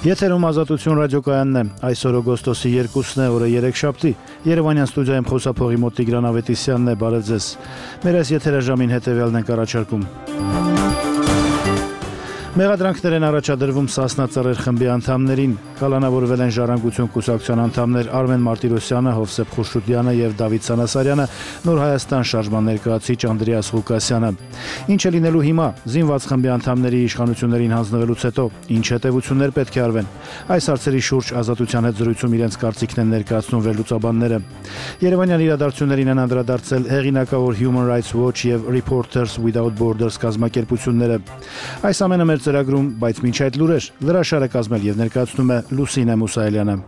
Եթերում Ազատություն ռադիոկայանն է, այսօր օգոստոսի 2-ն է, օրը երեքշաբթի, Երևանյան ստուդիայում խոսափողի մոտ Տիգրան Ավետիսյանն է, բարև ձեզ։ Մեր այս եթերաժամին հետևյալն ենք առաջարկում։ Մեղադրանքներ են առաջադրվում Սասնա Ծռեր խմբի անդամներին, կալանավորվել են Ժառանգություն կուսակցության անդամներ Արմեն Մարտիրոսյանը, Հովսեփ Խուշուդյանը եւ Դավիթ Սանասարյանը, Նոր Հայաստան շարժման ներկայացուցիչ Անդրեաս Ղուկասյանը։ Ինչ է լինելու հիմա, զինված խմբի անդամների իշխանություններին հանձնվելուց հետո, ինչ հետևություններ պետք է արվեն։ Այս հարցերի շուրջ Ազատության հետ զրույցում իրենց կարծիքն են ներկայացնում վերլուծաբանները։ Երևանյան իրադարձություններին են անդրադարձել հեղինակավոր Human Rights Watch եւ Reporters Without Borders կազմակերպությունները։ Այս ամենը մեր ծրագրում, բայց մինչ այդ լուրեր, լրաշարը կազմել եւ ներկայացնում է Լուսինե Մուսայելյանը։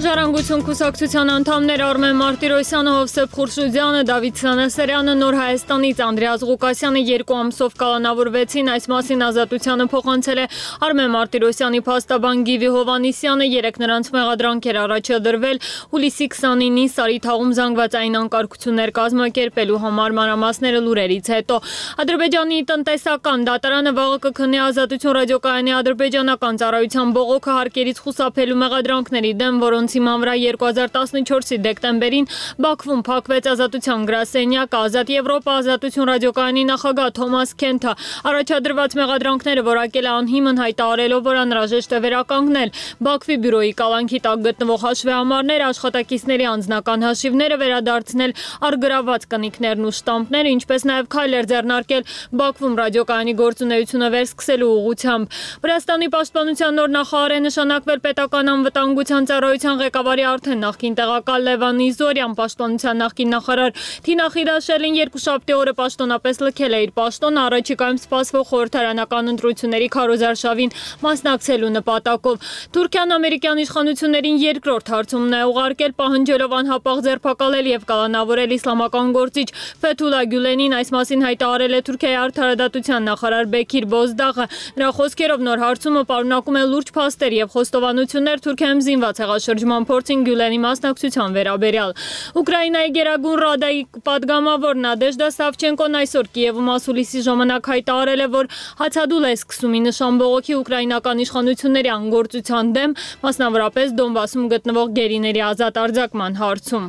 Ժառանգություն կուսակցության անդամներ Արմեն Մարտիրոսյանը, Հովսեփ Խուշուդյանը, Դավիթ Սանասարյանը, Նոր Հայաստանից Անդրեաս Ղուկասյանը 2 ամսով կալանավորվեցին, այս մասին Ազատությանը փոխանցել է Արմեն Մարտիրոսյանի փաստաբան Գիվի Հովանիսյանը, 3 նրանց մեղադրանք էր առաջադրվել հուլիսի 29-ին Սարիթաղում զանգվածային անկարգություններ կազմակերպելու համար, մանրամասները լուրերից հետո։ Ադրբեջանի տնտեսական դատարանը վաղը կքննի Ազատություն ռադիոկայանի ադրբեջանական ծառայության բողոքը հարկերից խուսափելու մեղադրանքների դեմ, որոնց հիման վրա 2014-ի դեկտեմբերին Բաքվում փակվեց Ազատության գրասենյակը, Ազատ Եվրոպա Ազատություն ռադիոկայանի նախագահ Թոմաս Քենթը առաջադրված մեղադրանքները որակել է անհիմն, հայտարարելով, որ անհրաժեշտ է վերականգնել Բաքվի բյուրոյի կալանքի տակ գտնվող հաշվեհամարները, աշխատակիցների անձնական հաշիվները, վերադարձնել առգրաված կնիքներն ու շտամպները, ինչպես նաև քայլեր ձեռնարկել Բաքվում ռադիոկայանի գործունեությունը վերսկսելու ուղղությամբ։ Վրաստանի պաշտպանության նոր նախարար է նշանակվել պետական անվտանգության ծառայության ղեկավարի արդեն նախկին տեղակալ Լևան Իզորյան, պաշտպանության նախկին նախարար Թինա Խիրաշելին երկուշաբթի օրը պաշտոնապես լքել է իր պաշտոնը առաջիկայում սպասվող խորհրդարանական ընտրությունների քարոզարշավին մասնակցելու նպատակով։ Թուրքիան ամերիկյան իշխանություններին երկրորդ հարցումն է ուղարկել, պահանջելով անհապաղ ձերբակալել եւ կալանավորել իսլամական գործիչ Ֆեթուլա Գյուլենին, այս մասին հայտարարել է Թուրքիայի արդարադատության նախարար Բեկիր Բոզդաղը։ Նրա խոսքերով նոր հարցումը պարունակում է լուրջ փաստեր եւ խոստովանություններ Թուրքիայում զինված հեղաշրջման փորձին Գյուլենի մասնակցության վերաբերյալ։ Ուկրաինայի Գերագույն Ռադայի պատգամավոր Նադեժդա Սավչենկոն այսօր Կիևում ասուլիսի ժամանակ հայտարարել է, որ հացադուլ է սկսում ի նշան բողոքի ուկրաինական իշխանությունների անգործության դեմ, մասնավորապես Դոնբասում գտնվող գերիների ազատ արձակման հարցում։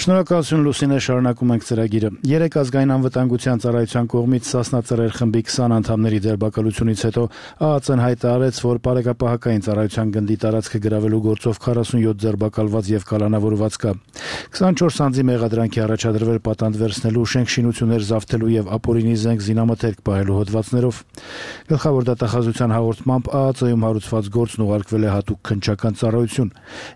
Շնորհակալություն Լուսինե, շարունակում ենք ծրագիրը։ 3 ազգային անվտանգության ծառայության կողմից Սասնա Ծռեր խմբի 20 անդամների ձերբակալությունից հետո ԱԱԾ-ն հայտարարեց, որ Պարեկապահական ծառայության գնդի տարածքը գրավելու գործով 47 ձերբակալված եւ կալանավորված կա։ 24 անձի մեղադրանքի առաջադրվել պատանդ վերցնելու, շենք-շինություններ զավթելու եւ ապօրինի զենք զինամթերք պահելու հոդվածներով։ Գլխավոր դատախազության հաղորդմամբ ԱԱԾ-ում հարուցված գործն ուղարկվել է հատուկ քննչական ծառայություն։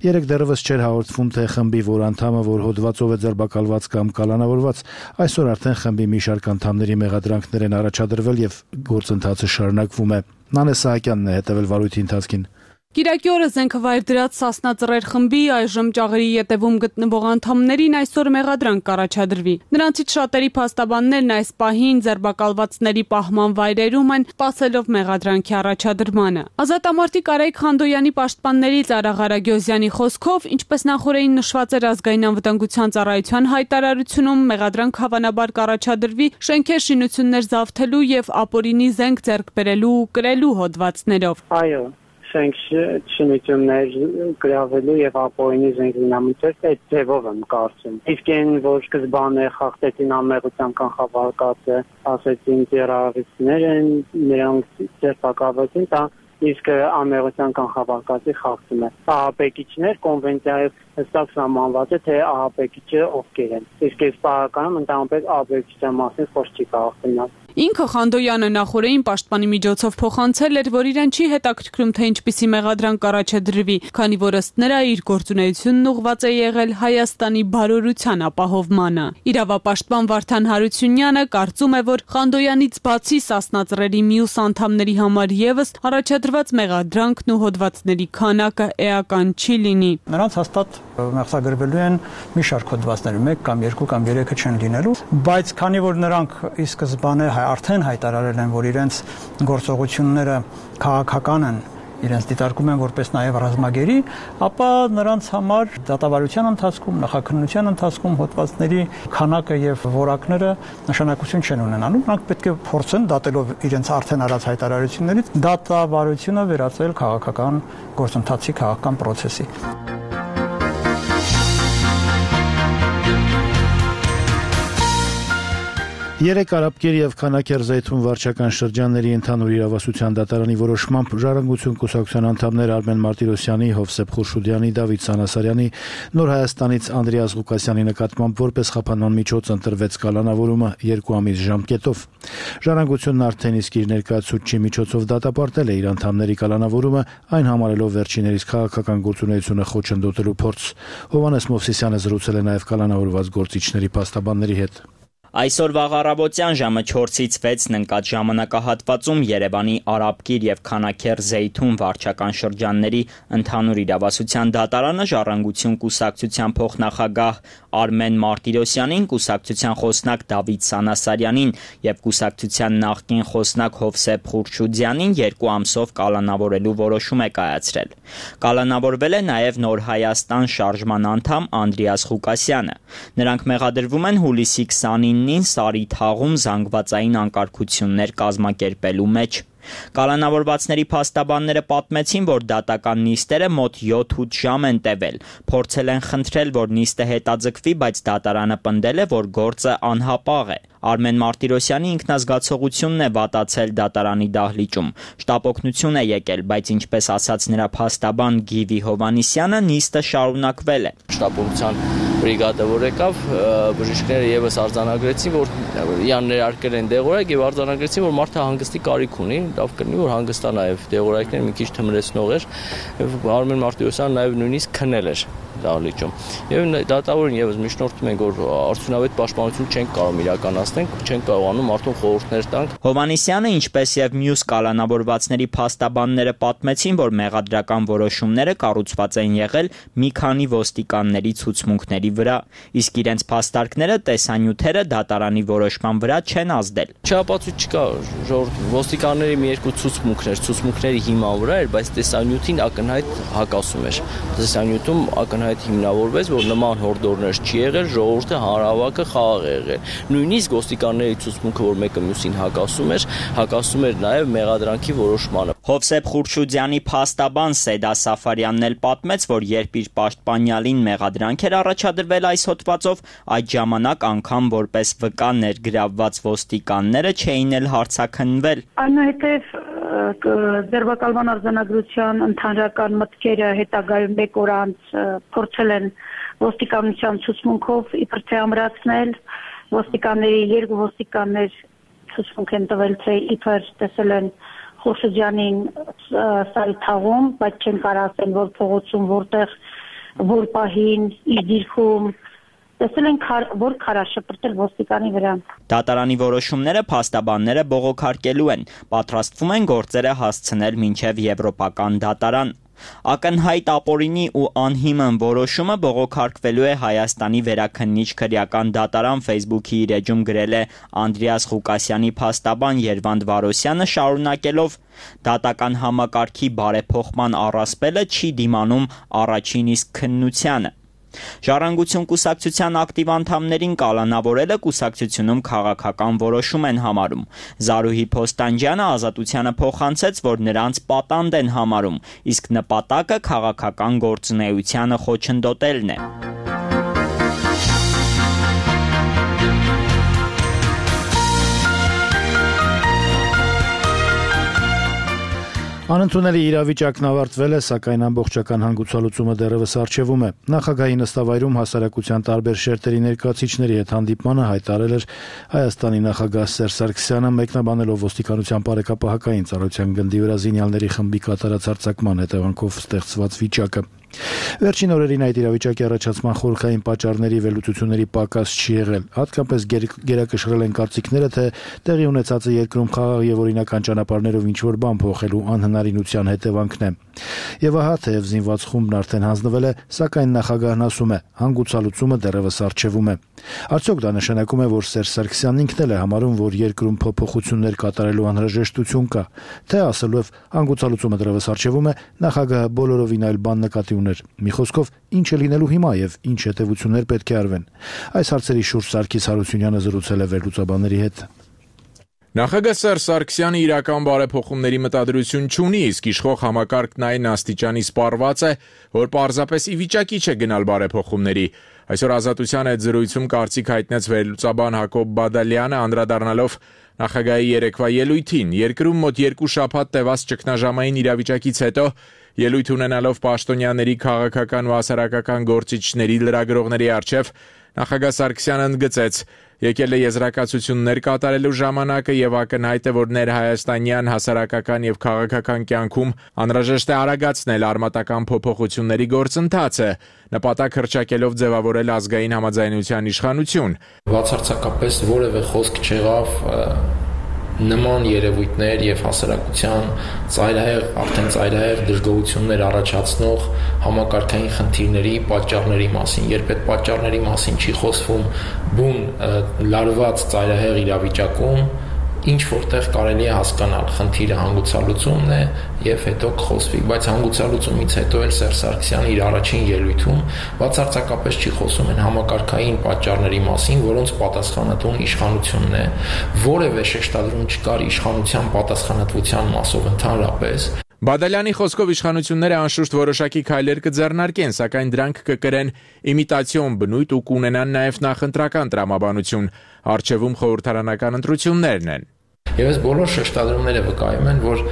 3 դեռևս չէր հաղորդվում, թե խմբի որ անդամը, որ հոդվածով է ձերբակալված կամ կալանավորված, այսօր արդեն խմբի մի շարք անդամների մեղադրանքներ են առաջադրվել եւ գործընթացը շարունակվում է։ Նանե Սահակյանն է հետևել վարույթի ընթացքին։ Կիրակի օրը զենքը վայր դրած Սասնա Ծռեր խմբի այժմ Ճաղերի ետևում գտնվող անդամներին այսօր մեղադրանք կառաջադրվի։ Նրանցից շատերի փաստաբաններն այս պահին ձերբակալվածների պահման վայրերում են, սպասելով մեղադրանքի առաջադրմանը։ Ազատամարտիկ Արայիկ Խանդոյանի պաշտպաններից Արա Ղարագյոզյանի խոսքով, ինչպես նախորդին նշված էր ազգային անվտանգության ծառայության հայտարարությունում, մեղադրանք հավանաբար կառաջադրվի շենքեր շինություններ զավթելու եւ ապօրինի զենք ձեռք բերելու ու կրելու հոդվածներով։ Այո, շենք շինություններ գրավելու եւ ապօրինի զենք զինամթերք այդ ձևով եմ կարծում։ Իսկ այն որ սկզբանե խախտեցին ամեղության կանխավարկածը, ասեցին տերորիստներ են, նրանք ձերբակալվեցին, դա իսկ ամեղության կանխավարկածի խախտում է։ Ահաբեկիչներ կոնվենցիայով հստակ սահմանված է, թե ահաբեկիչը ովքեր են։ Իսկ այս պարականում ընդհանրապես ահաբեկչության մասին խոսք չի կարող գնալ։ Ինքը Խանդոյանը նախորդին պաշտպանի միջոցով փոխանցել էր, որ իրեն չի հետաքրքրում, թե ինչպիսի մեղադրանք առաջադրվի, քանի որ ըստ նրա իր գործունեությունն ուղղված է եղել Հայաստանի բարօրության ապահովմանը։ Իրավապաշտպան Վարդան Հարությունյանը կարծում է, որ Խանդոյանից բացի Սասնա Ծռերի մյուս անդամների համար եւս առաջադրված մեղադրանքն ու հոդվածների քանակը էական չի լինի։ Նրանց հաստատ մեղսագրվելու են մի շարք հոդվածներ, 1 կամ 2 կամ 3-ը չեն լինելու, բայց քանի որ նրանք ի սկզբանե արդեն հայտարարել են, որ իրենց գործողությունները քաղաքական են, իրենց դիտարկում են որպես նաև ռազմագերի, ապա նրանց համար դատավարության ընթացքում, նախաքննության ընթացքում հոդվածների քանակը եւ որակները նշանակություն չեն ունենալու։ Նրանք պետք է փորձեն դատելով իրենց արդեն արած հայտարարություններից դատավարությունը վերածել քաղաքական գործընթացի, քաղաքական process-ի։ Երեք Արաբկեր եւ Քանաքեր Զեյթուն վարչական շրջանների ընդհանուր իրավասության դատարանի որոշմամբ Ժառանգություն կուսակցության անդամներ Արմեն Մարտիրոսյանի, Հովսեփ Խուրշուդյանի, Դավիթ Սանասարյանի, Նոր Հայաստանից Անդրեաս Ղուկասյանի նկատմամբ որպես խափանման միջոց ընտրվեց կալանավորումը 2 ամիս ժամկետով։ Ժառանգությունն արդեն իսկ իր ներկայացուցչի միջոցով դատապարտել է իր անդամների կալանավորումը, այն համարելով վերջիներիս քաղաքական գործունեությունը խոչընդոտելու փորձ։ Հովհաննես Մովսիսյանը զրուցել է նաեւ կալանավորված գործիչների փաստաբանների հետ։ Այսօր վաղ առավոտյան ժամը 4-ից 6-ն ընկած ժամանակահատվածում Երևանի Արաբկիր եւ Քանաքեր Զեյթուն վարչական շրջանների ընդհանուր իրավասության դատարանը Ժառանգություն կուսակցության փոխնախագահ Արմեն Մարտիրոսյանին, կուսակցության խոսնակ Դավիթ Սանասարյանին եւ կուսակցության նախկին խոսնակ Հովսեփ Խուրշուդյանին 2 ամսով կալանավորելու որոշում է կայացրել։ Կալանավորվել է նաեւ Նոր Հայաստան շարժման անդամ Անդրեաս Ղուկասյանը։ Նրանք մեղադրվում են հուլիսի 29-ին Սարի թաղում զանգվածային անկարգություններ կազմակերպելու մեջ։ Կալանավորվածների փաստաբանները պատմեցին, որ դատական նիստերը մոտ 7-8 ժամ են տևել։ Փորձել են խնդրել, որ նիստը հետաձգվի, բայց դատարանը պնդել է, որ գործը անհապաղ է։ Արմեն Մարտիրոսյանի ինքնազգացողությունն է վատացել դատարանի դահլիճում։ Շտապօգնություն է եկել, բայց ինչպես ասաց նրա փաստաբան Գիվի Հովհաննիսյանը, նիստը շարունակվել է։ Շտապօգնության բրիգադը որ եկավ, բժիշկները եւս արձանագրեցին, որ իրան ներարկել են դեղորայք եւ արձանագրեցին, որ մարդը հանգստի կարիք ունի, լավ կլինի, որ հանգստանա եւ դեղորայքները մի քիչ թմրեցնող էր։ Արմեն Մարտիրոսյանը նաեւ նույնիսկ քնել էր դահլիճում։ Եվ դատավորին եւս միջնորդում ենք, որ արդյունավետ պաշտպանություն չենք կարող իրականացնել, չենք կարողանում մարդուն խորհուրդներ տանք։ Հովհաննիսյանը, ինչպես եւ մյուս կալանավորվածների փաստաբանները պատմեցին, որ մեղադրական որոշումները կառուցված են եղել մի քանի ոստիկանների ցուցմունքների վրա, իսկ իրենց փաստարկները տեսանյութերը դատարանի որոշման վրա չեն ազդել։ Չափածույց չկա, ոստիկանների մի երկու ցուցմունքների հիման վրա էր, բայց տեսանյութին ակնհայտ հակասում էր։ Տեսանյութում ակնհայտ հիմնավորվեց, որ նման հորդորներ չի եղել, ժողովուրդը հանրահավաքը խաղաղ է եղել։ Նույնիսկ ոստիկանների ցուցմունքը, որ մեկը մյուսին հակասում էր նաև մեղադրանքի որոշմանը։ Հովսեփ Խուրշուդյանի փաստաբան Սեդա Սաֆարյանն էլ պատմեց, որ երբ իր պաշտպանյալին մեղադրանք էր առաջադրվել այս հոդվածով, այդ ժամանակ անգամ որպես վկա ներգրավված ոստիկանները չէին էլ հարցաքննվել։ Այնուհետև ձերբակալման արձանագրության ընդհանրական մտքերը հետագայում 1 օր անց փորձել են ոստիկանության ցուցմունքով իբր թե ամրացնել, ոստիկանների 2 ոստիկաններ ցուցմունք են տվել, թե իբր տեսել են Խուրշուդյանին Սարի թաղում, բայց չեն կարող ասել, որ փողոցում որտեղ որ պահին իր դիրքում տեսել են որ քարաշպրտել ոստիկանի վրա։ Դատարանի որոշումները փաստաբանները բողոքարկելու են, պատրաստվում են գործերը հասցնել մինչև Եվրոպական դատարան։ Ակնհայտ ապօրինի ու անհիմն որոշումը բողոքարկվելու է Հայաստանի վերաքննիչ քրեական դատարան Facebook-ի իր էջում գրել է Անդրեաս Ղուկասյանի փաստաբան Երվանդ Վարոսյանը, շարունակելով. Դատական համակարգի բարեփոխման առասպելը չի դիմանում առաջին իսկ քննությանը։ Ժառանգություն կուսակցության ակտիվ անդամներին կալանավորելը կուսակցությունում քաղաքական որոշում են համարում։ Զարուհի Փոստանջյանը Ազատությանը փոխանցեց, որ նրանց պատանդ են համարում, իսկ նպատակը քաղաքական գործունեությանը խոչընդոտելն է։ Անընդունելի իրավիճակն ավարտվել է, սակայն ամբողջական հանգուցալուծումը դեռևս առջևում է։ Նախագահի նստավայրում հասարակության տարբեր շերտերի ներկայացուցիչների հետ հանդիպմանը հայտարարել էր Հայաստանի նախագահ Սերժ Սարգսյանը, մեկնաբանելով ոստիկանության բարեկապահական ծառայության գնդի վրա զինյալների խմբի կատարած հարձակման հետևանքով ստեղծված վիճակը։ Վերջին օրերին այդ իրավիճակի առաջացման խորհրդային պատճառների վերլուծությունների պակաս չի եղել։ Հատկապես գերակշռել են կարծիքները, թե տեղի ունեցածը երկրում խաղաղ եւ օրինական ճանապարհներով ինչ-որ բան փոխելու անհնարինության հետևանքն է։ Եվ ահա, թեև զինված խումբն արդեն հանձնվել է, սակայն նախագահն ասում է, հանգուցալուծումը դեռևս առջևում է։ Արդյոք դա նշանակում է, որ Սերժ Սարգսյանն ինքն էլ է համարում, որ երկրում փոփոխություններ կատարելու անհրաժեշտություն կա, թե ասելով հանգուցալուծումը դեռևս առջևում է, նախագահը բոլորովին այլ բան նկատի ուներ։ Մի խոսքով, ինչ է լինելու հիմա եւ ինչ հետեւություններ պետք է արվեն։ Այս հարցերի շուրջ Սարգիս Հարությունյանը զրուցել է վերլուծաբանների հետ։ Նախագահ Սերժ Սարգսյանը իրական բարեփոխումների մտադրություն չունի, իսկ իշխող համակարգն այն աստիճանի սպառված է, որ պարզապես ի վիճակի չէ գնալ բարեփոխումների։ Այսօր Ազատության հետ զրույցում կարծիք հայտնեց վերլուծաբան Հակոբ Բադալյանը, անդրադառնալով նախագահի երեկվա ելույթին։ Երկրում մոտ 2 շաբաթ տևած ճգնաժամային իրավիճակից հետո ելույթ ունենալով պաշտոնյաների, քաղաքական ու հասարակական գործիչների, լրագրողների առջև նախագահ Սարգսյանը ընդգծեց. եկել է եզրակացություններ կատարելու ժամանակը եւ ակնհայտ է, որ ներհայաստանյան հասարակական եւ քաղաքական կյանքում անհրաժեշտ է արագացնել արմատական փոփոխությունների գործընթացը, նպատակ հռչակելով ձևավորել ազգային համաձայնության իշխանություն։ Բացարձակապես որևէ խոսք չեղավ նման երևույթներ եւ հասարակության արդեն ծայրահեղ դժգոհություններ առաջացնող համակարգային խնդիրների պատճառների մասին։ Երբ այդ պատճառների մասին չի խոսվում բուն լարված ծայրահեղ իրավիճակում, ինչ որտեղ կարելի է հասկանալ, խնդիրը հանգուցալուծումն է եւ հետո կխոսվի, բայց հանգուցալուծումից հետո էլ Սերժ Սարգսյանը իր առաջին ելույթում բացարձակապես չի խոսում այն համակարգային պատճառների մասին, որոնց պատասխանատուն իշխանությունն է, որևէ շեշտադրում չկար իշխանության պատասխանատվության մասով ընդհանրապես։ Բադալյանի խոսքով իշխանությունները անշուշտ որոշակի քայլեր կձեռնարկեն, սակայն դրանք կկրեն իմիտացիոն բնույթ ու կունենան նաև նախընտրական տրամաբանություն։ Առջևում խորհրդարանական ընտրություններն են։ Եվ այս բոլոր շեշտադրումները վկայում են, որ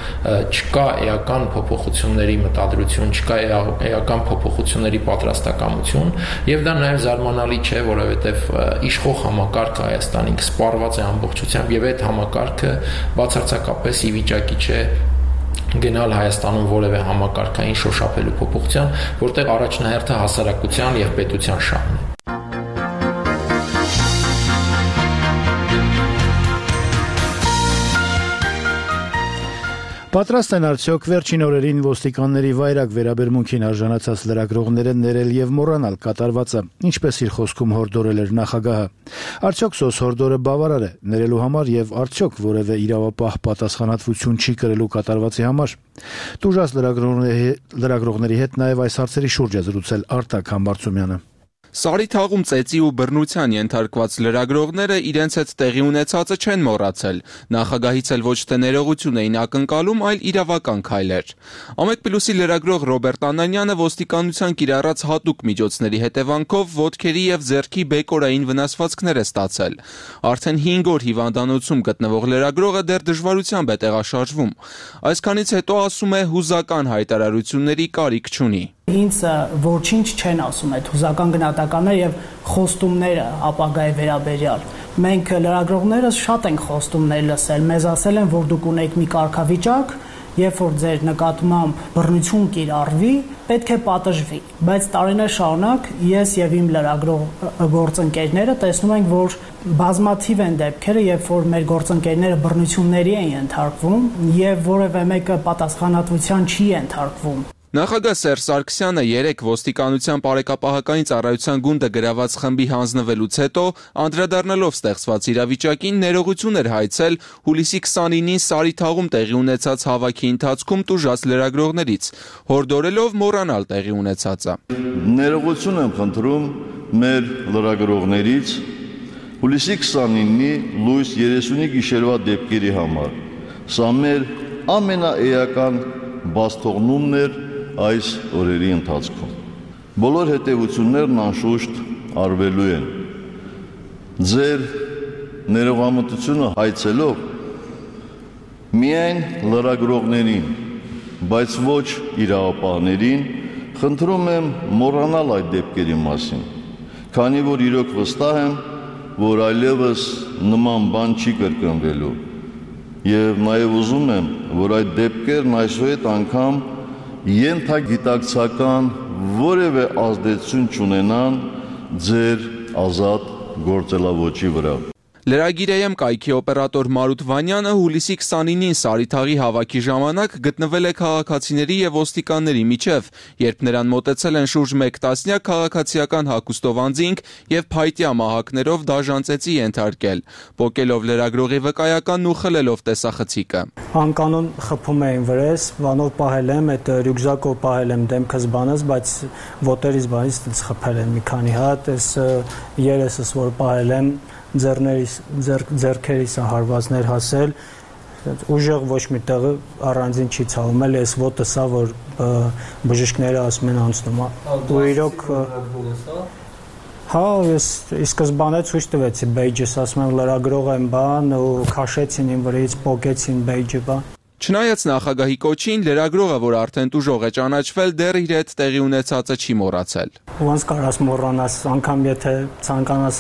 չկա էական փոփոխությունների մտադրություն, չկա էական փոփոխությունների պատրաստակամություն, եւ դա նաեւ զարմանալի չէ, որովհետեւ իշխող համակարգը Հայաստանի սպառված է ամբողջությամբ եւ այդ համակարգը բացարձակապես ի վիճակի չէ գնալ Հայաստանում որևէ համակարգային շոշափելու փոփոխության, որտեղ առաջնահերթը հասարակության եւ պետության շահն է։ Պատրաստ են արդյոք վերջին օրերին ոստիկանների վայրագ վերաբերմունքին արժանացած լրագրողները ներել եւ մոռանալ կատարվածը, ինչպես իր խոսքում հորդորել էր նախագահը։ Արդյոք սոս հորդորը բավարար է ներելու համար եւ արդյոք որևէ իրավապահ պատասխանատվություն չի կրելու կատարվածի համար։ Տուժած լրագրողների հետ նաեւ այս հարցերի շուրջ է զրուցել Արտակ Համբարձումյանը։ Սարի թաղում ծեծի ու բռնության ենթարկված լրագրողները իրենց հետ տեղի ունեցածը չեն մոռացել։ Նախագահից էլ ոչ թե ներողություն էին ակնկալում, այլ իրավական քայլեր։ Ամեկ+-ի լրագրող Ռոբերտ Անանյանը ոստիկանության կիրառած հատուկ միջոցների հետևանքով ոտքերի եւ ձեռքի բեկորային վնասվածքներ է ստացել։ Արդեն 5 օր հիվանդանոցում գտնվող լրագրողը դեռ դժվարությամբ է տեղաշարժվում։ Այսքանից հետո ասում է հուզական հայտարարությունների կարիք չունի։ Ինձ ոչինչ չեն ասում այդ հուզական գնահատականները եւ խոստումները ապագայի վերաբերյալ։ Մենք լրագրողներս շատ ենք խոստումներ լսել, մեզ ասել են, որ դուք ունեք մի կարգավիճակ, երբ որ ձեր նկատմամբ բռնություն կիրառվի, պետք է պատժվի։ Բայց տարիներ շարունակ ես եւ իմ լրագրող գործընկերները տեսնում ենք, որ բազմաթիվ են դեպքերը, երբ որ մեր գործընկերները բռնությունների են ենթարկվում եւ որևէ մեկը պատասխանատվության չի ենթարկվում։ Նախագահ Սերժ Սարգսյանը երեկ ոստիկանության բարեկապահական ծառայության գունդը գրաված խմբի հանձնվելուց հետո անդրադառնալով ստեղծված իրավիճակին ներողություն էր հայցել հուլիսի 29-ին Սարի թաղում տեղի ունեցած հավաքի ընթացքում տուժած լրագրողներից, հորդորելով մոռանալ տեղի ունեցածը։ Ներողություն եմ խնդրում մեր լրագրողներից հուլիսի 29-ի լույս 30-ի գիշերվա դեպքերի համար։ Սա մեր ամենաէական բացթողնումն էր այս օրերի ընթացքում։ Բոլոր հետևություններն անշուշտ արվելու են։ Ձեր ներողամտությունը հայցելով միայն լրագրողներին բայց ոչ իրավապահներին, խնդրում եմ մոռանալ այդ դեպքերի մասին, քանի որ իրոք վստահ եմ, որ այլևս նման բան չի կրկնվելու, եւ նաեւ ուզում եմ, որ այդ դեպքերն այսուհետ անգամ ենթագիտակցական որևէ ազդեցություն չունենան ձեր ազատ գործելավոճի վրա։ Լրագիրայեմ կայքի օպերատոր Մարութ Վանյանը հուլիսի 29-ին Սարիթաղի հավաքի ժամանակ գտնվել է քաղաքացիների եւ ոստիկանների միջև, երբ նրան մոտեցել են շուրջ 1 տասնյակ քաղաքացիական հագուստով անձինք եւ փայտյա մահակներով դաժան ծեծի ենթարկել, պոկելով լրագրողի վկայականն ու խլելով տեսախցիկը։ Անկանոն խփում էին վրես, վանով պահել եմ, այդ ռյուկզակով պահել եմ դեմքս բանս, բայց ոտերից բանից խփել են մի քանի հատ, այս երեսս որ պահել եմ ձեռքերիս հարվածներ հասել, ուժեղ ոչ մի տեղը առանձին չի ցավում, էլ այս ոտը սա, որ բժիշկները ասում են անցնում, ու իրոք հա, ես սկզբանե ցույց տվեցի բեյջս, ասում եմ լրագրող եմ բան, ու քաշեցին իմ վրայից, պոկեցին բեյջը բան։ Չնայած նախագահի կոչին, լրագրողը, որ արդեն տուժող է ճանաչվել, դեռ իր հետ տեղի ունեցածը չի մոռացել։ Ոնց կարաս մոռանաս, անգամ եթե ցանկանաս,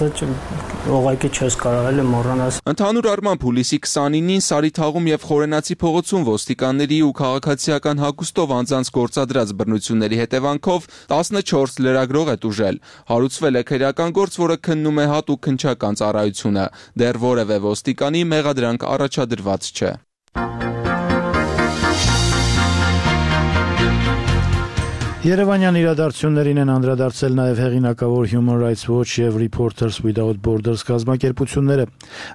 ուղղակի չես կարող էլ մոռանաս։ Ընդհանուր առմամբ հուլիսի 29-ին Սարիթաղում եւ Խորենացի փողոցում ոստիկանների ու քաղաքացիական հագուստով անձանց գործադրած բռնությունների հետևանքով 14 լրագրող է տուժել։ Հարուցվել է քրեական գործ, որը քննում է հատուկ քննչական ծառայությունը։ Դեռ որևէ ոստիկանի մեղադրանք առաջադրված չէ։ Երևանյան իրադարձություններին են անդրադարձել նաև հեղինակավոր Human Rights Watch եւ Reporters Without Borders կազմակերպությունները։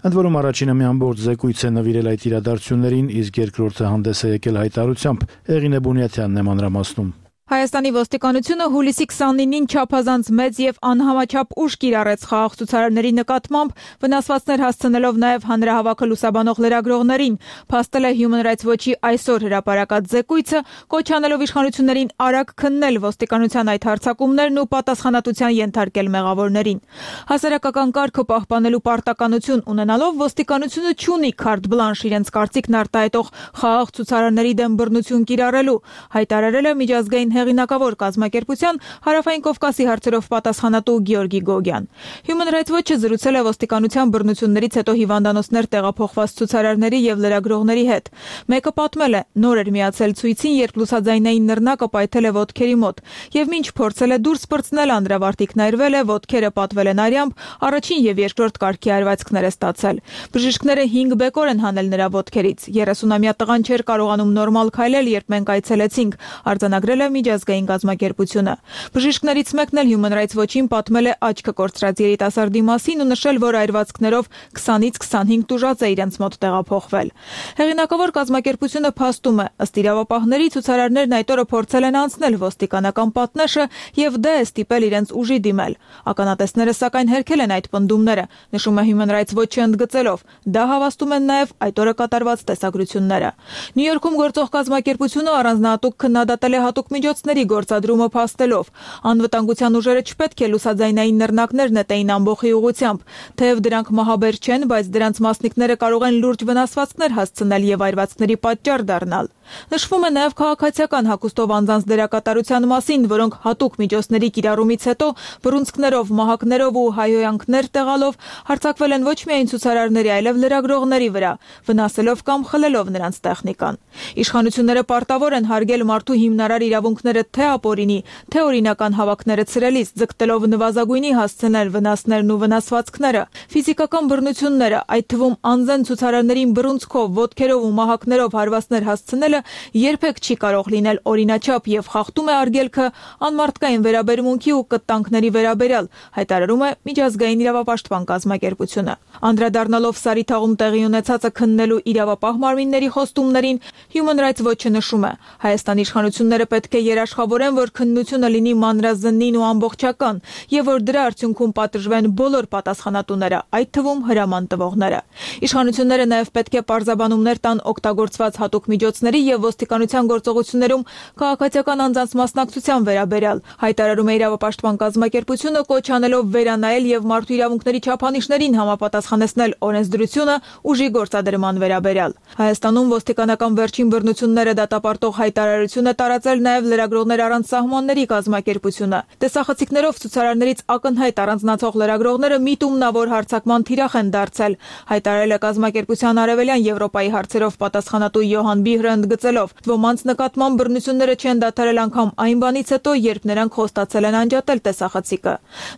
Ընդ որում առաջինը մի ամբողջ զեկույց է նվիրել այդ իրադարձություններին, իսկ երկրորդը հանդես է եկել հայտարարությամբ։ Եղինե Բունյաթյանն է մանրամասնում։ Հայաստանի ոստիկանությունը հուլիսի 29-ին չափազանց մեծ եւ անհամաչափ ուժ կիրառեց խաղաղ ցուցարարների նկատմամբ, վնասվածքներ հասցնելով նաեւ հանրահավաքը լուսաբանող լրագրողներին, փաստել է Human Rights Watch-ի այսօր հրապարակած զեկույցը, կոչ անելով իշխանություններին արագ քննել ոստիկանության այդ հարձակումներն ու պատասխանատվության ենթարկել մեղավորներին։ Հասարակական կարգը պահպանելու պարտականություն ունենալով ոստիկանությունը չունի քարտ բլանշ իրենց կարծիքն արտահայտող խաղաղ ցուցարարների դեմ բռնություն կիրառելու, հայտարարել է միջազգային հեղինակավոր կազմակերպության Հարավային Կովկասի հարցերով պատասխանատու Գեորգի Գոգյան։ Human Rights Watch-ը զրուցել է ոստիկանության բռնություններից հետո հիվանդանոցներ տեղափոխված ցուցարարների եւ լրագրողների հետ։ Մեկը պատմել է, նոր էր միացել ցույցին, երբ լուսաձայնային նռնակը պայթել է ոտքերի մոտ, եւ մինչ փորձել է դուրս պրծնել, անդրավարտիքն այրվել է, ոտքերը պատվել են արյամբ, առաջին եւ երկրորդ կարգի արվածքներ է ստացել։ Բժիշկները 5 բեկոր են հանել նրա ոտքերից։ 30-ամյա տղան չէր կարողանում նորմալ քայլել, երբ մենք այցելեցինք, արձանագրել է միջազգային կազմակերպությունը։ Բժիշկներից մեկն էլ Human Rights Watch-ին պատմել է աչքը կորցրած երիտասարդի մասին ու նշել, որ այրվածքներով 20-ից 25 տուժած է իրենց մոտ տեղափոխվել։ Հեղինակավոր կազմակերպությունը փաստում է, ըստ իրավապահների ցուցարարներն այդ օրը փորձել են անցնել ոստիկանական պատնեշը եւ դե է ստիպել իրենց ուժի դիմել։ Ականատեսները սակայն հերքել են այդ պնդումները, նշում է Human Rights Watch-ը ընդգծելով։ Դա հավաստում են նաեւ այդ օրը կատարված տեսագրությունները։ Նյու Յորքում գործող կազմակերպությունը առանձնահատուկ քննադատել է հատուկ միջոցների գործադրումը փաստելով։ Անվտանգության ուժերը չպետք է լուսաձայնային նռնակներ նետեին ամբողջի ուղղությամբ, թեև դրանք մահաբեր չեն, բայց դրանց մասնիկները կարող են լուրջ վնասվածքներ հասցնել եւ այրվածքների պատճառ դառնալ։ Նշվում է նաեւ քաղաքացիական հագուստով անձանց դերակատարության մասին, որոնք հատուկ միջոցների կիրառումից հետո բռունցքներով, մահակներով ու հայհոյանքներ տեղալով հարձակվել են ոչ միայն ցուցարարների, այլև լրագրողների վրա, վնասելով կամ խլելով նրանց տեխնիկան։ Իշխանությունները պարտավոր են հարգել մարդու հիմնարար իրավունքները թե ապօրինի, թե օրինական հավաքները ցրելիս, ձգտելով նվազագույնի հասցնել վնասներն ու վնասվածքները։ Ֆիզիկական բռնությունները, այդ թվում անձն ցուցարարներին բռունցքով, ոտքերով ու մահակներով հարվածներ հասցնելը երբեք չի կարող լինել օրինաչափ եւ խախտում է արգելքը անմարդկային վերաբերմունքի ու կտանքների վերաբերյալ, հայտարարում է միջազգային իրավապաշտպան կազմակերպությունը։ Անդրադառնալով Սարիթաղում տեղի ունեցածը քննելու իրավապահ մարմինների խոստումներին, Human Rights Watch-ը նշում է. Հայաստանի իշխանությունները պետք է երաշխավորեն, որ քննությունը լինի մանրազնին ու ամբողջական, եւ որ դրա արդյունքում պատժվեն բոլոր պատասխանատուները, այդ թվում հրաման տվողները։ Իշխանությունները նաեւ պետք է պարզաբանումներ տան օգտագործված հատուկ միջոցների եւ ոստիկանության գործողություններում քաղաքացիական անձանց մասնակցության վերաբերյալ։ Հայտարարում է իրավապաշտպան կազմակերպությունը, կոչ անելով վերանայել եւ մարդու իրավունքների չափանիշներին համապատասխանեցնել օրենսդրությունը ուժի գործադրման վերաբերյալ։ Հայաստանում ոստիկանական վերջին բռնությունները դատապարտող հայտարարություն է տարածել նաեւ լրագրողներ առանց սահմանների կազմակերպությունը։ Տեսախցիկներով ցուցարարներից ակնհայտ առանձնացող լրագրողները միտումնավոր հարձակման թիրախ են դարձել։ Հայտարարել է կազմակերպության արևելյան Եվրոպայի հարցերով պատասխանատու Յոհան Բիհրը ընդգծելով, ոմանց նկատմամբ բռնությունները չեն դադարել անգամ այն բանից հետո, երբ նրանք խոստացել են անջատել տեսախցիկը։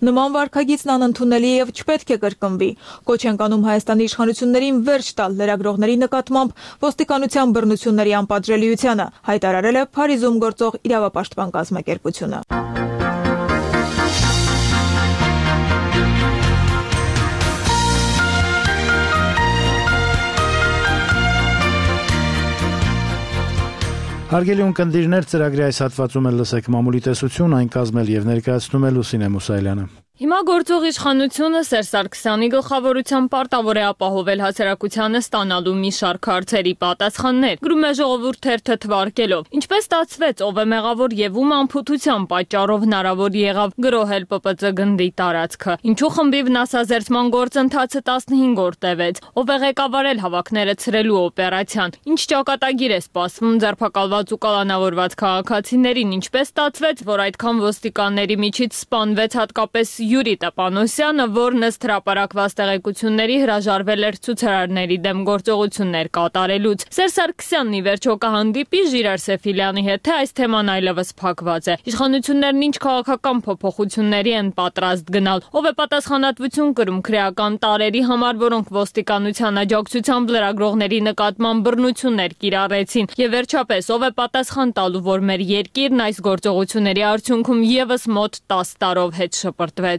Նման վարքագիծն անընդունելի է եւ չպետք է կրկնվի։ Կոչ են անում Հայաստանի իշխանություններին վերջ տալ լրագրողների նկատմամբ ոստիկանության բռնությունների անպատժելիությանը, հայտարարել է Փարիզում գործող իրավապաշտպան կազմակերպությունը։ Հարգելի ունկնդիրներ, ծրագրի այս հատվածում էլ լսեք մամուլի տեսություն, այն կազմել եւ ներկայացնում է Լուսինե Մուսայելյանը։ Հիմա գործող իշխանությունը Սերժ Սարգսյանի գլխավորությամբ պարտավոր է ապահովել հասարակությանը ստանալու մի շարք հարցերի պատասխաններ։ Գրում է Ժողովուրդ թերթը թվարկելով. Ինչպես ստացվեց, ով է մեղավոր եւ ում անփութության պատճառով հնարավոր եղավ գրոհել ՊՊԾ գնդի տարածքը։ Ինչու խմբի վնասազերծման գործընթացը 15 օր տևեց։ Ով է ղեկավարել հավաքները ցրելու օպերացիան։ Ինչ ճակատագիր է սպասվում ձերբակալված ու կալանավորված քաղաքացիներին։ Ինչպես ստացվեց, որ այդքան ոստիկանների միջից սպանվեց հատկապես Յուրի Տապանոսյանը, որն ըստ հրապարակված տեղեկությունների հրաժարվել էր ցուցարարների դեմ գործողություններ կատարելուց։ Սերժ Սարգսյանն ի վերջո կհանդիպի Ժիրայր Սեֆիլյանի հետ, թե այս թեման այլևս փակված է։ Իշխանություններն ինչ քաղաքական փոփոխությունների են պատրաստ գնալ։ Ով է պատասխանատվություն կրում քրեական տարերի համար, որոնք ոստիկանության աջակցությամբ լրագրողների նկատմամբ բռնություններ կիրառեցին։ Եվ վերջապես, ով է պատասխան տալու, որ մեր երկիրն այս գործողությունների արդյունքում եւս մոտ 10 տարով հետ շպրտվեց։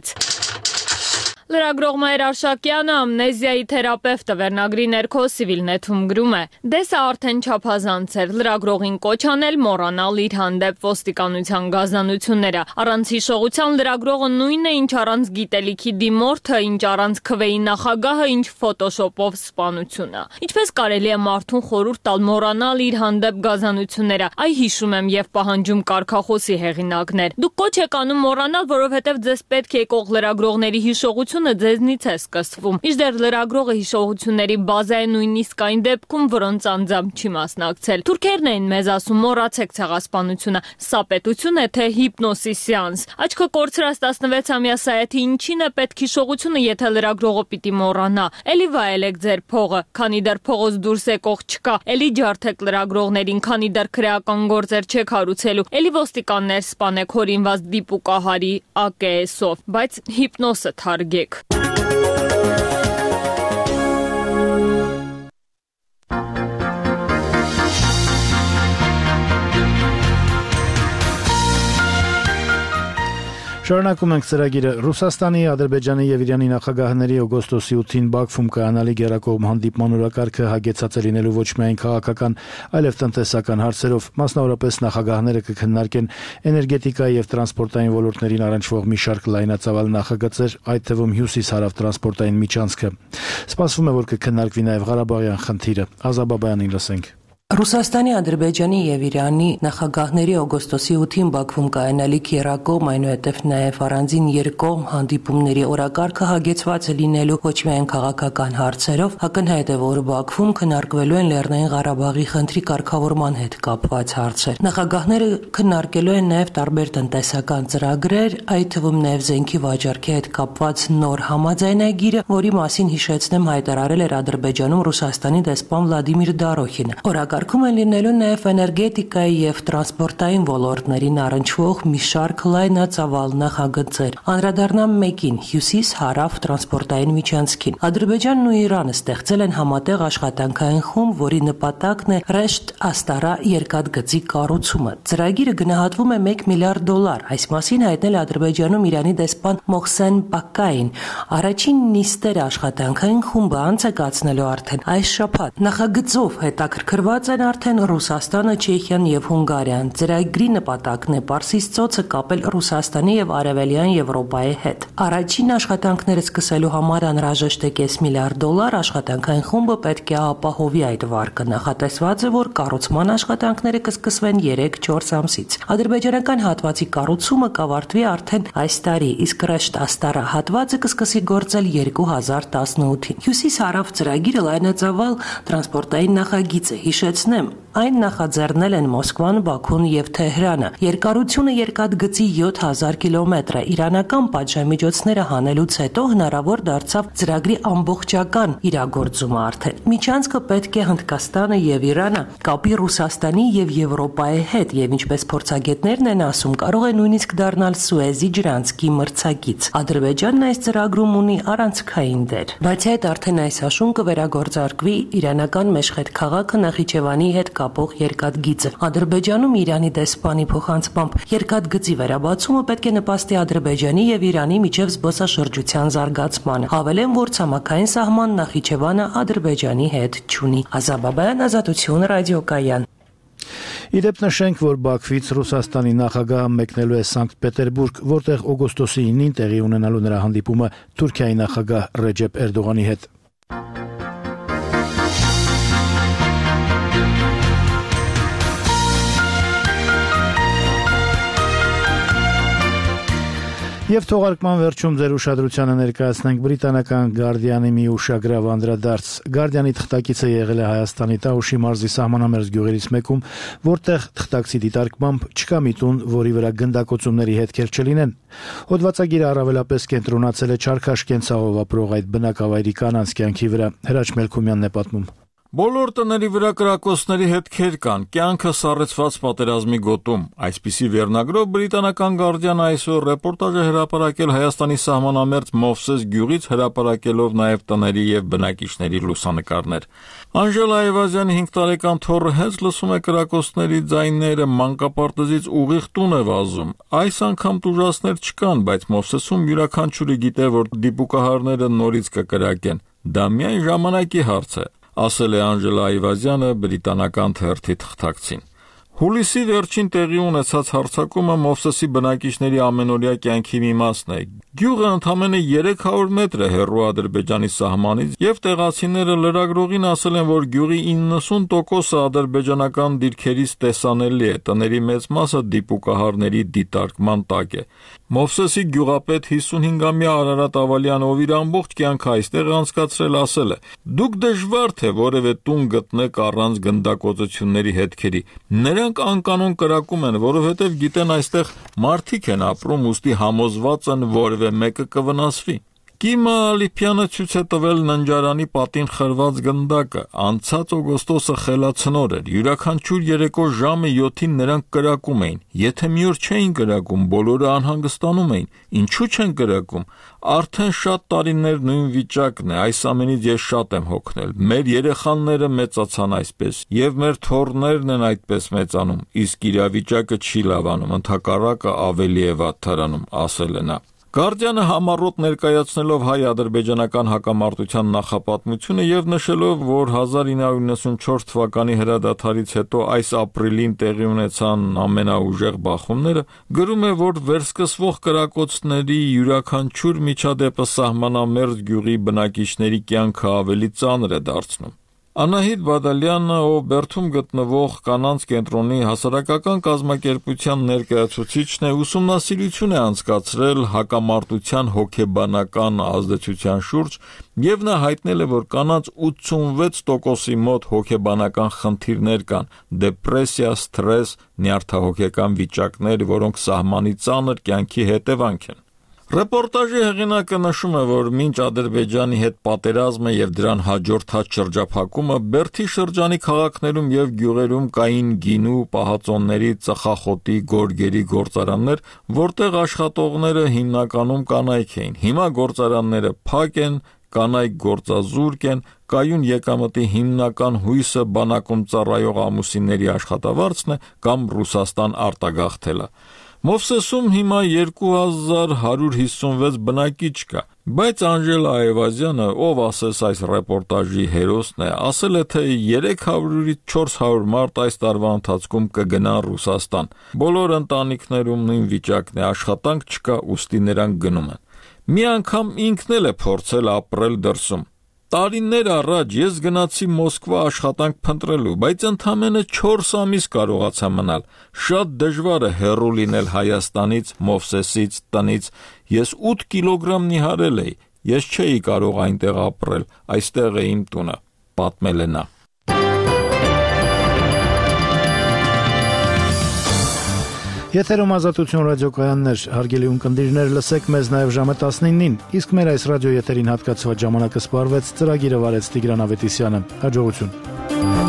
Լրագրող Մայր Արշակյանը ամնեզիայի թերապևտը վերնագրի ներքո Civilnet-ում գրում է. Դե սա արդեն չափազանց էր, լրագրողին կոչ անել մոռանալ իր հանդեպ ոստիկանության գազանությունները։ Առանց հիշողության լրագրողը նույնն է, ինչ առանց գիտելիքի դիմորդը, ինչ առանց քվեի նախագահը, ինչ ֆոտոշոպով սպանությունը։ Ինչպես կարելի է մարդուն խորհուրդ տալ մոռանալ իր հանդեպ գազանությունները։ Այ հիշում եմ եւ պահանջում կարգախոսի հեղինակներ։ Դուք կոչ եք անում մոռանալ, որովհետեւ ձեզ պետք է եկող լրագրողների հիշողություն ձեզնից է սկսվում։ Իժդեռ լրագրողը հիշողությունների բազա է նույնիսկ այն դեպքում, որոնց անձամբ չի մասնակցել։ Թուրքերն էին մեզ ասում մոռացեք ցեղասպանությունը, սա պետություն է թե հիպնոսի սեանս։ Աչքը կորցրած 16-ամյա Սայաթի ինչին է պետք հիշողությունը, եթե լրագրողը պիտի մոռանա։ Էլի վայելեք ձեր փողը, քանի դեռ փողոց դուրս եկող չկա։ Էլի ջարդեք լրագրողներին, քանի դեռ քրեական գործեր չեք հարուցելու։ Էլի ոստիկաններ սպանեք հորինված դիպուկահարի AKS-ով, բայց հիպնոսը թարգեք։ Շարունակում ենք ծրագիրը։ Ռուսաստանի, Ադրբեջանի եւ Իրանի նախագահների օգոստոսի 8-ին Բաքվում կայանալի գերակողմ հանդիպման օրակարգը հագեցած է լինելու ոչ միայն քաղաքական, այլև տնտեսական հարցերով, մասնավորապես նախագահները կքննարկեն էներգետիկայի եւ տրանսպորտային ոլորտներին առնչվող մի շարք լայնածավալ նախագծեր, այդ թվում հյուսիս-հարավ տրանսպորտային միջանցքը։ Սպասվում է, որ կքննարկվի նաեւ Ղարաբաղյան խնդիրը։ Ազաբաբայանին լսենք։ Ռուսաստանի, Ադրբեջանի եւ Իրանի նախագահների օգոստոսի 8-ին Բաքվում կայանալիք երակողմ, այնուհետև նաեւ առանձին երկկողմ հանդիպումների օրակարգը հագեցված է լինելու ոչ միայն քաղաքական հարցերով, ակնհայտ է, որ Բաքվում քննարկվելու են Լեռնային Ղարաբաղի խնդրի կարգավորման հետ կապված հարցեր։ Նախագահները քննարկելու են նաեւ տարբեր տնտեսական ծրագրեր, այդ թվում նաեւ զենքի վաճառքի հետ կապված նոր համաձայնագիրը, որի մասին հիշեցնեմ հայտարարել էր Ադրբեջանում Ռուսաստանի դեսպան Վլադիմիր Դարոխինը։ Օրակարգում են լինելու նաև էներգետիկայի եւ տրանսպորտային ոլորտներին առնչվող մի շարք լայնածավալ նախագծեր։ Անդրադառնամ մեկին՝ հյուսիս-հարավ տրանսպորտային միջանցքին։ Ադրբեջանն ու Իրանը ստեղծել են համատեղ աշխատանքային խումբ, որի նպատակն է Ռեշտ Աստարա երկաթգծի կառուցումը։ Ծրագիրը գնահատվում է $1 միլիարդ։ Այս մասին հայտնել է Ադրբեջանում Իրանի դեսպան Մոհսեն Պակկային։ Առաջին նիստերը աշխատանքային խումբը անց է կացնելու արդեն այս շաբաթ։ Նախագծով հետաքրքրված գործ են արդեն Ռուսաստանը, Չեխիան եւ Հունգարիան։ Ծրագրի նպատակն է Պարսից ծոցը կապել Ռուսաստանի եւ Արևելյան Եվրոպայի հետ։ Առաջին աշխատանքները սկսելու համար անհրաժեշտ է $5 միլիարդ, աշխատանքային խումբը պետք է ապահովի այդ վարկը։ Նախատեսված է, որ կառուցման աշխատանքները կսկսվեն 3-4 ամսից։ Ադրբեջանական հատվածի կառուցումը կավարտվի արդեն այս տարի, իսկ ռեշտ աստառա հատվածը կսկսի գործել 2018-ին։ Հյուսիս-հարավ ծրագիրը լայնածավալ տրանսպորտային նախագիծ է, հիշեցնեմ, այն նախաձեռնել են Մոսկվան, Բաքուն եւ Թեհրանը։ Երկարությունը երկաթգծի 7000 կիլոմետր է։ Իրանական պատժամիջոցները հանելուց հետո հնարավոր դարձավ ծրագրի ամբողջական իրագործումը արդեն։ Միջանցքը պետք է Հնդկաստանը եւ Իրանը կապի Ռուսաստանի եւ Եվրոպայի հետ եւ ինչպես փորձագետներն են ասում, կարող է նույնիսկ դառնալ Սուեզի ջրանցքի մրցակից։ Ադրբեջանն այս ծրագրում ունի առանցքային դեր։ Բայց այդ արդեն այս հաշուն կվերագործարկվի իրանական Մեշխեդ քաղաքը Նախիջևանի հետ կապող երկաթգիծը։ Ադրբեջանում Իրանի դեսպանի փոխանցմամբ երկաթգծի վերաբացումը պետք է նպաստի Ադրբեջանի եւ Իրանի միջև զբոսաշրջության զարգացմանը։ Հավելեմ, որ ցամաքային սահման Նախիջևանը Ադրբեջանի հետ չունի։ Ազաբաբայան, Ազատություն, ռադիոկայան։ Իդեպ նշենք, որ Բաքվից Ռուսաստանի նախագահը մեկնելու է Սանկտ Պետերբուրգ, որտեղ օգոստոսի 9-ին տեղի ունենալու նրա հանդիպումը Թուրքիայի նախագահ Ռեջեփ Էրդողանի հետ։ Եվ թողարկման վերջում ձեր ուշադրությանը ներկայացնենք բրիտանական Guardian-ի մի ուշագրավ անդրադարձ։ Guardian-ի թղթակիցը եղել է Հայաստանի Տաուշի մարզի սահմանամերձ գյուղերից մեկում, որտեղ թղթակցի դիտարկմամբ չկա մի տուն, որի վրա գնդակոծումների հետքեր չլինեն։ Հոդվածագիրը առավելապես կենտրոնացել է չարքաշ կենցաղով ապրող այդ բնակավայրի կանանց կյանքի վրա։ Հրաչ Մելքումյանն է պատմում։ Բոլոր տների վրա կրակոցների հետքեր կան, կյանքը սառեցված պատերազմի գոտում։ Այսպիսի վերնագրով բրիտանական Guardian-ը այսօր ռեպորտաժ է հրապարակել Հայաստանի սահմանամերձ Մովսես գյուղից, հրապարակելով նաև տների եւ բնակիչների լուսանկարներ։ Անժելա Այվազյանի 5 տարեկան թոռը հենց լսում է կրակոցների ձայները, մանկապարտեզից ուղիղ տուն է վազում։ Այս անգամ տուժածներ չկան, բայց Մովսեսում յուրաքանչյուրը գիտե, որ դիպուկահարները նորից կկրակեն։ Դա միայն ժամանակի հարց է, ասել է Անժելա Այվազյանը բրիտանական թերթի թղթակցին։ Հուլիսի վերջին տեղի ունեցած հարձակումը Մովսեսի բնակիչների ամենօրյա կյանքի մի մասն է։ Գյուղը ընդամենը 300 մետր է հեռու Ադրբեջանի սահմանից, եւ տեղացիները լրագրողին ասել են, որ գյուղի 90%-ը ադրբեջանական դիրքերից տեսանելի է, տների մեծ մասը դիպուկահարների դիտարկման տակ է։ Մովսեսի գյուղապետ 55-ամյա Արարատ Ավալյանը, ով իր ամբողջ կյանքը այստեղ անցկացրել, ասել է. «Դուք դժվար թե որևէ տուն գտնեք առանց գնդակոծությունների հետքերի։ Նրանք անկանոն կրակում են, որովհետև գիտեն այստեղ մարդիկ են ապրում, ուստի համոզված են որևէ մեկը կվնասվի»։ Կիմա Ալիփյանը ցույց է տվել ննջարանի պատին խրված գնդակը։ Անցած օգոստոսը խելացնոր էր։ Յուրաքանչյուր երեկո ժամը 7-ին նրանք կրակում էին։ Եթե մի օր չէին կրակում, բոլորը անհանգստանում էին։ Ինչու չեն կրակում։ Արդեն շատ տարիներ նույն վիճակն է։ Այս ամենից ես շատ եմ հոգնել։ Մեր երեխաները մեծացան այսպես, եւ մեր թոռներն են այդպես մեծանում, իսկ իրավիճակը չի լավանում, ընդհակառակը ավելի է վատթարանում, ասել է նա։ Guardian-ը համառոտ ներկայացնելով հայ-ադրբեջանական հակամարտության նախապատմությունը եւ նշելով, որ 1994 թվականի հրադադարից հետո այս ապրիլին տեղի ունեցան ամենաուժեղ բախումները, գրում է, որ վերսկսվող կրակոցների յուրաքանչյուր միջադեպը սահմանամերձ գյուղի բնակիչների կյանքը ավելի ծանր է դարձնում։ Անահիտ Բադալյանը, ով Բերթում գտնվող կանանց կենտրոնի հասարակական կազմակերպության ներկայացուցիչն է, ուսումնասիրություն է անցկացրել հակամարտության հոգեբանական ազդեցության շուրջ եւ նա հայտնել է, որ կանանց 86%-ի մոտ հոգեբանական խնդիրներ կան՝ դեպրեսիա, սթրես, նյարդահոգեկան վիճակներ, որոնք սահմանի ծանր կյանքի հետևանք են։ Ռեպորտաժի հեղինակը նշում է, որ մինչ Ադրբեջանի հետ պատերազմը եւ դրան հաջորդած շրջափակումը Բերթի շրջանի քաղաքներում եւ գյուղերում կային գինու, պահածոնների, ծխախոտի, գորգերի գործարաններ, որտեղ աշխատողները հիմնականում կանայք էին։ Հիմա գործարանները փակ են, կանայք գործազուրկ են, կայուն եկամտի հիմնական հույսը բանակում ծառայող ամուսինների աշխատավարձն է կամ Ռուսաստան արտագաղթելը։ Մովսեսում հիմա 2156 բնակիչ կա, բայց Անժելա Այվազյանը, ով ասես այս ռեպորտաժի հերոսն է, ասել է, թե 300-ից 400 մարդ այս տարվա ընթացքում կգնան Ռուսաստան։ Բոլոր ընտանիքներում նույն վիճակն է, աշխատանք չկա, ուստի նրանք գնում են։ Մի անգամ ինքն էլ է փորձել ապրել դրսում։ Տարիներ առաջ ես գնացի Մոսկվա աշխատանք փնտրելու, բայց ընդամենը 4 ամիս կարողացա մնալ։ Շատ դժվար է հեռու լինել Հայաստանից, Մովսեսից, տնից։ Ես 8 կիլոգրամ նիհարել էի։ Ես չէի կարող այնտեղ ապրել, այստեղ է իմ տունը, պատմել է նա։ Եթերում Ազատություն ռադիոկայաններ, հարգելի ունկնդիրներ, լսեք մեզ նաև ժամը 19-ին, իսկ մեր այս ռադիո եթերին հատկացված ժամանակը սպառվեց, ծրագիրը վարեց Տիգրան Ավետիսյանը։ Հաջողություն։